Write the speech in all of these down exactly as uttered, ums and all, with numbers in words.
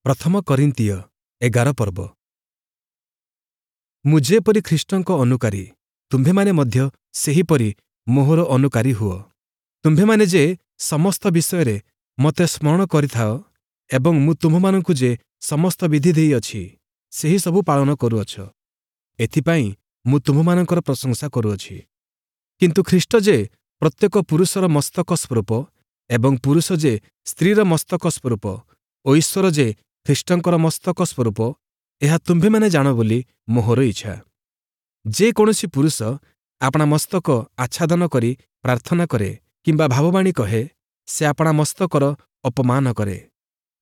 ପ୍ରଥମ କରିନ୍ଥୀୟ ଏଗାର ପର୍ବ ମୁଁ ଯେପରି ଖ୍ରୀଷ୍ଟଙ୍କ ଅନୁକାରୀ ତୁମ୍ଭେମାନେ ମଧ୍ୟ ସେହିପରି ମୋହର ଅନୁକାରୀ ହୁଅ ତୁମ୍ଭେମାନେ ଯେ ସମସ୍ତ ବିଷୟରେ ମୋତେ ସ୍ମରଣ କରିଥାଅ ଏବଂ ମୁଁ ତୁମ୍ଭମାନଙ୍କୁ ଯେ ସମସ୍ତ ବିଧି ଦେଇଅଛି ସେହି ସବୁ ପାଳନ କରୁଅଛ ଏଥିପାଇଁ ମୁଁ ତୁମ୍ଭମାନଙ୍କର ପ୍ରଶଂସା କରୁଅଛି କିନ୍ତୁ ଖ୍ରୀଷ୍ଟ ଯେ ପ୍ରତ୍ୟେକ ପୁରୁଷର ମସ୍ତକ ସ୍ୱରୂପ ଏବଂ ପୁରୁଷ ଯେ ସ୍ତ୍ରୀର ମସ୍ତକ ସ୍ୱରୂପ ଓ ଈଶ୍ୱର ଯେ ଖ୍ରୀଷ୍ଟଙ୍କର ମସ୍ତକ ସ୍ୱରୂପ ଏହା ତୁମ୍ଭେମାନେ ଜାଣ ବୋଲି ମୋହର ଇଚ୍ଛା ଯେ କୌଣସି ପୁରୁଷ ଆପଣା ମସ୍ତକ ଆଚ୍ଛାଦନ କରି ପ୍ରାର୍ଥନା କରେ କିମ୍ବା ଭାବବାଣୀ କହେ ସେ ଆପଣା ମସ୍ତକର ଅପମାନ କରେ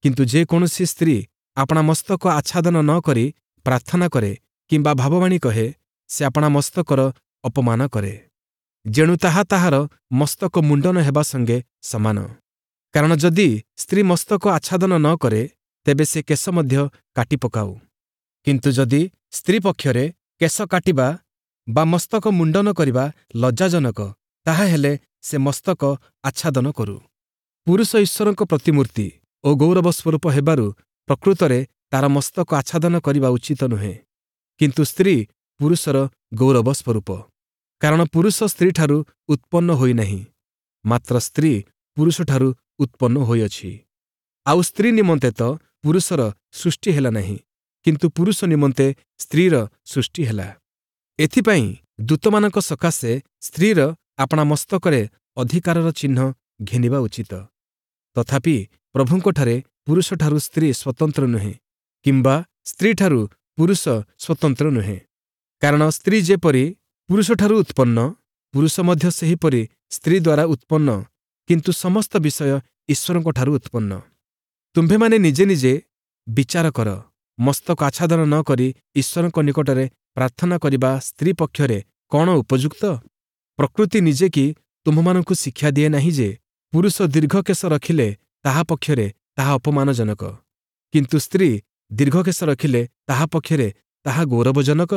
କିନ୍ତୁ ଯେ କୌଣସି ସ୍ତ୍ରୀ ଆପଣା ମସ୍ତକ ଆଚ୍ଛାଦନ ନ କରି ପ୍ରାର୍ଥନା କରେ କିମ୍ବା ଭାବବାଣୀ କହେ ସେ ଆପଣା ମସ୍ତକର ଅପମାନ କରେ ଯେଣୁ ତାହା ତାହାର ମସ୍ତକ ମୁଣ୍ଡନ ହେବା ସଙ୍ଗେ ସମାନ କାରଣ ଯଦି ସ୍ତ୍ରୀ ମସ୍ତକ ଆଚ୍ଛାଦନ ନ କରେ ତେବେ ସେ କେଶ ମଧ୍ୟ କାଟି ପକାଉ କିନ୍ତୁ ଯଦି ସ୍ତ୍ରୀ ପକ୍ଷରେ କେଶ କାଟିବା ବା ମସ୍ତକ ମୁଣ୍ଡନ କରିବା ଲଜ୍ଜାଜନକ ତାହାହେଲେ ସେ ମସ୍ତକ ଆଚ୍ଛାଦନ କରୁ ପୁରୁଷ ଈଶ୍ୱରଙ୍କ ପ୍ରତିମୂର୍ତ୍ତି ଓ ଗୌରବ ସ୍ୱରୂପ ହେବାରୁ ପ୍ରକୃତରେ ତାର ମସ୍ତକ ଆଚ୍ଛାଦନ କରିବା ଉଚିତ ନୁହେଁ କିନ୍ତୁ ସ୍ତ୍ରୀ ପୁରୁଷର ଗୌରବ ସ୍ୱରୂପ କାରଣ ପୁରୁଷ ସ୍ତ୍ରୀଠାରୁ ଉତ୍ପନ୍ନ ହୋଇନାହିଁ ମାତ୍ର ସ୍ତ୍ରୀ ପୁରୁଷଠାରୁ ଉତ୍ପନ୍ନ ହୋଇଅଛି ଆଉ ସ୍ତ୍ରୀ ନିମନ୍ତେ ତ ପୁରୁଷର ସୃଷ୍ଟି ହେଲା ନାହିଁ କିନ୍ତୁ ପୁରୁଷ ନିମନ୍ତେ ସ୍ତ୍ରୀର ସୃଷ୍ଟି ହେଲା ଏଥିପାଇଁ ଦୂତମାନଙ୍କ ସକାଶେ ସ୍ତ୍ରୀର ଆପଣା ମସ୍ତକରେ ଅଧିକାରର ଚିହ୍ନ ଘେନିବା ଉଚିତ ତଥାପି ପ୍ରଭୁଙ୍କଠାରେ ପୁରୁଷଠାରୁ ସ୍ତ୍ରୀ ସ୍ୱତନ୍ତ୍ର ନୁହେଁ କିମ୍ବା ସ୍ତ୍ରୀଠାରୁ ପୁରୁଷ ସ୍ୱତନ୍ତ୍ର ନୁହେଁ କାରଣ ସ୍ତ୍ରୀ ଯେପରି ପୁରୁଷଠାରୁ ଉତ୍ପନ୍ନ ପୁରୁଷ ମଧ୍ୟ ସେହିପରି ସ୍ତ୍ରୀ ଦ୍ୱାରା ଉତ୍ପନ୍ନ କିନ୍ତୁ ସମସ୍ତ ବିଷୟ ଈଶ୍ୱରଙ୍କଠାରୁ ଉତ୍ପନ୍ନ ତୁମ୍ଭେମାନେ ନିଜେ ନିଜେ ବିଚାର କର ମସ୍ତକ ଆଚ୍ଛାଦନ ନ କରି ଈଶ୍ୱରଙ୍କ ନିକଟରେ ପ୍ରାର୍ଥନା କରିବା ସ୍ତ୍ରୀ ପକ୍ଷରେ କ'ଣ ଉପଯୁକ୍ତ ପ୍ରକୃତି ନିଜେ କି ତୁମ୍ଭମାନଙ୍କୁ ଶିକ୍ଷା ଦିଏ ନାହିଁ ଯେ ପୁରୁଷ ଦୀର୍ଘକେଶ ରଖିଲେ ତାହା ପକ୍ଷରେ ତାହା ଅପମାନଜନକ କିନ୍ତୁ ସ୍ତ୍ରୀ ଦୀର୍ଘକେଶ ରଖିଲେ ତାହା ପକ୍ଷରେ ତାହା ଗୌରବଜନକ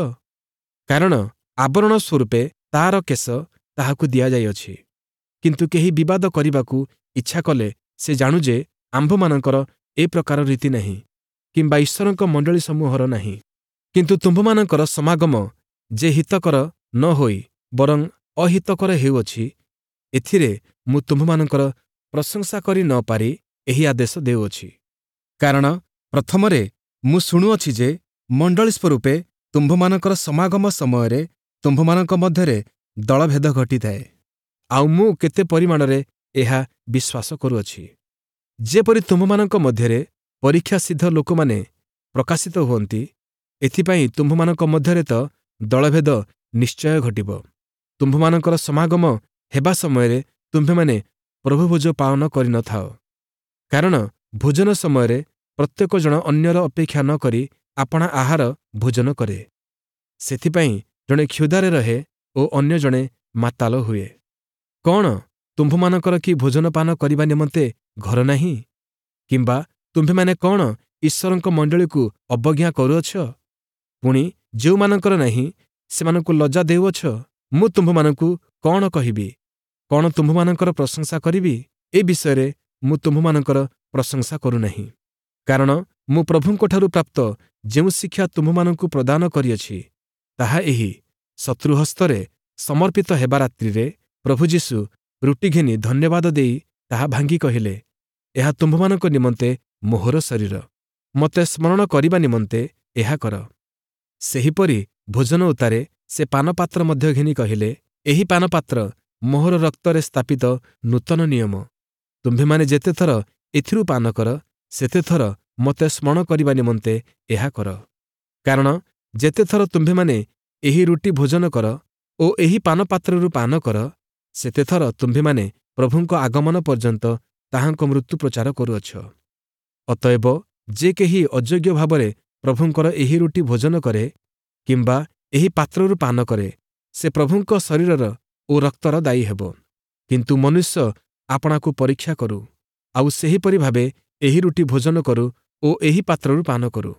କାରଣ ଆବରଣ ସ୍ୱରୂପେ ତାର କେଶ ତାହାକୁ ଦିଆଯାଇଅଛି କିନ୍ତୁ କେହି ବିବାଦ କରିବାକୁ ଇଚ୍ଛା କଲେ ସେ ଜାଣୁ ଯେ ଆମ୍ଭମାନଙ୍କର ଏ ପ୍ରକାର ରୀତି ନାହିଁ କିମ୍ବା ଈଶ୍ୱରଙ୍କ ମଣ୍ଡଳୀ ସମୂହର ନାହିଁ କିନ୍ତୁ ତୁମ୍ଭମାନଙ୍କର ସମାଗମ ଯେ ହିତକର ନ ହୋଇ ବରଂ ଅହିତକର ହେଉଅଛି ଏଥିରେ ମୁଁ ତୁମ୍ଭମାନଙ୍କର ପ୍ରଶଂସା କରି ନ ପାରି ଏହି ଆଦେଶ ଦେଉଅଛି କାରଣ ପ୍ରଥମରେ ମୁଁ ଶୁଣୁଅଛି ଯେ ମଣ୍ଡଳୀ ସ୍ୱରୂପେ ତୁମ୍ଭମାନଙ୍କର ସମାଗମ ସମୟରେ ତୁମ୍ଭମାନଙ୍କ ମଧ୍ୟରେ ଦଳଭେଦ ଘଟିଥାଏ ଆଉ ମୁଁ କେତେ ପରିମାଣରେ ଏହା ବିଶ୍ୱାସ କରୁଅଛି ଯେପରି ତୁମ୍ଭମାନଙ୍କ ମଧ୍ୟରେ ପରୀକ୍ଷାସିଦ୍ଧ ଲୋକମାନେ ପ୍ରକାଶିତ ହୁଅନ୍ତି ଏଥିପାଇଁ ତୁମ୍ଭମାନଙ୍କ ମଧ୍ୟରେ ତ ଦଳଭେଦ ନିଶ୍ଚୟ ଘଟିବ ତୁମ୍ଭମାନଙ୍କର ସମାଗମ ହେବା ସମୟରେ ତୁମ୍ଭେମାନେ ପ୍ରଭୁଭୋଜ ପାଳନ କରିନଥାଅ କାରଣ ଭୋଜନ ସମୟରେ ପ୍ରତ୍ୟେକ ଜଣ ଅନ୍ୟର ଅପେକ୍ଷା ନ କରି ଆପଣା ଆହାର ଭୋଜନ କରେ ସେଥିପାଇଁ ଜଣେ କ୍ଷୁଧାରେ ରହେ ଓ ଅନ୍ୟ ଜଣେ ମାତାଲ ହୁଏ କ'ଣ ତୁମ୍ଭମାନଙ୍କର କି ଭୋଜନପାନ କରିବା ନିମନ୍ତେ ଘର ନାହିଁ କିମ୍ବା ତୁମ୍ଭେମାନେ କ'ଣ ଈଶ୍ୱରଙ୍କ ମଣ୍ଡଳୀକୁ ଅବଜ୍ଞା କରୁଅଛ ପୁଣି ଯେଉଁମାନଙ୍କର ନାହିଁ ସେମାନଙ୍କୁ ଲଜ୍ଜା ଦେଉଅଛ ମୁଁ ତୁମ୍ଭମାନଙ୍କୁ କ'ଣ କହିବି କ'ଣ ତୁମ୍ଭମାନଙ୍କର ପ୍ରଶଂସା କରିବି ଏ ବିଷୟରେ ମୁଁ ତୁମ୍ଭମାନଙ୍କର ପ୍ରଶଂସା କରୁନାହିଁ କାରଣ ମୁଁ ପ୍ରଭୁଙ୍କଠାରୁ ପ୍ରାପ୍ତ ଯେଉଁ ଶିକ୍ଷା ତୁମ୍ଭମାନଙ୍କୁ ପ୍ରଦାନ କରିଅଛି ତାହା ଏହି ଶତ୍ରୁ ହସ୍ତରେ ସମର୍ପିତ ହେବା ରାତ୍ରିରେ ପ୍ରଭୁ ଯୀଶୁ ରୁଟି ଘେନି ଧନ୍ୟବାଦ ଦେଇ ତାହା ଭାଙ୍ଗି କହିଲେ ଏହା ତୁମ୍ଭମାନଙ୍କ ନିମନ୍ତେ ମୋହର ଶରୀର ମୋତେ ସ୍ମରଣ କରିବା ନିମନ୍ତେ ଏହା କର ସେହିପରି ଭୋଜନ ଉତ୍ତାରେ ସେ ପାନପାତ୍ର ମଧ୍ୟ ଘେନି କହିଲେ ଏହି ପାନପାତ୍ର ମୋହର ରକ୍ତରେ ସ୍ଥାପିତ ନୂତନ ନିୟମ ତୁମ୍ଭେମାନେ ଯେତେଥର ଏଥିରୁ ପାନ କର ସେତେଥର ମୋତେ ସ୍ମରଣ କରିବା ନିମନ୍ତେ ଏହା କର କାରଣ ଯେତେଥର ତୁମ୍ଭେମାନେ ଏହି ରୁଟି ଭୋଜନ କର ଓ ଏହି ପାନପାତ୍ରରୁ ପାନ କର ସେତେଥର ତୁମ୍ଭେମାନେ ପ୍ରଭୁଙ୍କ ଆଗମନ ପର୍ଯ୍ୟନ୍ତ ତାହାଙ୍କ ମୃତ୍ୟୁ ପ୍ରଚାର କରୁଅଛ ଅତଏବ ଯେ କେହି ଅଯୋଗ୍ୟ ଭାବରେ ପ୍ରଭୁଙ୍କର ଏହି ରୁଟି ଭୋଜନ କରେ କିମ୍ବା ଏହି ପାତ୍ରରୁ ପାନ କରେ ସେ ପ୍ରଭୁଙ୍କ ଶରୀରର ଓ ରକ୍ତର ଦାୟୀ ହେବ କିନ୍ତୁ ମନୁଷ୍ୟ ଆପଣାକୁ ପରୀକ୍ଷା କରୁ ଆଉ ସେହିପରି ଭାବେ ଏହି ରୁଟି ଭୋଜନ କରୁ ଓ ଏହି ପାତ୍ରରୁ ପାନ କରୁ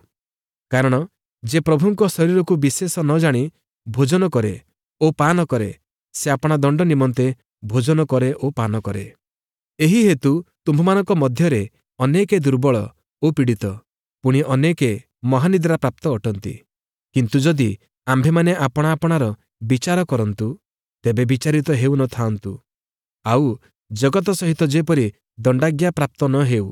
କାରଣ ଯେ ପ୍ରଭୁଙ୍କ ଶରୀରକୁ ବିଶେଷ ନ ଜାଣି ଭୋଜନ କରେ ଓ ପାନ କରେ ସେ ଆପଣା ଦଣ୍ଡ ନିମନ୍ତେ ଭୋଜନ କରେ ଓ ପାନ କରେ ଏହି ହେତୁ ତୁମ୍ଭମାନଙ୍କ ମଧ୍ୟରେ ଅନେକେ ଦୁର୍ବଳ ଓ ପୀଡ଼ିତ ପୁଣି ଅନେକେ ମହାନିଦ୍ରା ପ୍ରାପ୍ତ ଅଟନ୍ତି। କିନ୍ତୁ ଯଦି ଆମ୍ଭେମାନେ ଆପଣା ଆପଣାର ବିଚାର କରନ୍ତୁ, ତେବେ ବିଚାରିତ ହେଉ ନ ଥାଆନ୍ତୁ। ଆଉ ଜଗତ ସହିତ ଯେପରି ଦଣ୍ଡାଜ୍ଞା ପ୍ରାପ୍ତ ନ ହେଉ,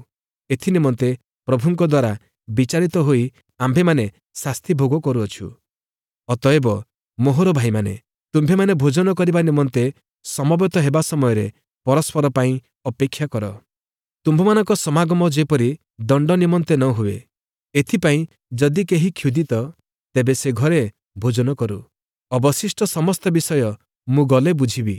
ଏଥିନିମନ୍ତେ ପ୍ରଭୁଙ୍କ ଦ୍ୱାରା ବିଚାରିତ ହୋଇ ଆମ୍ଭେମାନେ ଶାସ୍ତି ଭୋଗ କରୁଅଛୁ। ଅତଏବ ମୋହର ଭାଇମାନେ, ତୁମ୍ଭେମାନେ ଭୋଜନ କରିବା ନିମନ୍ତେ ସମବେତ ହେବା ସମୟରେ ପରସ୍ପର ପାଇଁ ଅପେକ୍ଷା କର। ତୁମ୍ଭମାନଙ୍କ ସମାଗମ ଯେପରି ଦଣ୍ଡ ନିମନ୍ତେ ନ ହୁଏ, ଏଥିପାଇଁ ଯଦି କେହି କ୍ଷୁଧିତ, ତେବେ ସେ ଘରେ ଭୋଜନ କରୁ। ଅବଶିଷ୍ଟ ସମସ୍ତ ବିଷୟ ମୁଁ ଗଲେ ବୁଝିବି।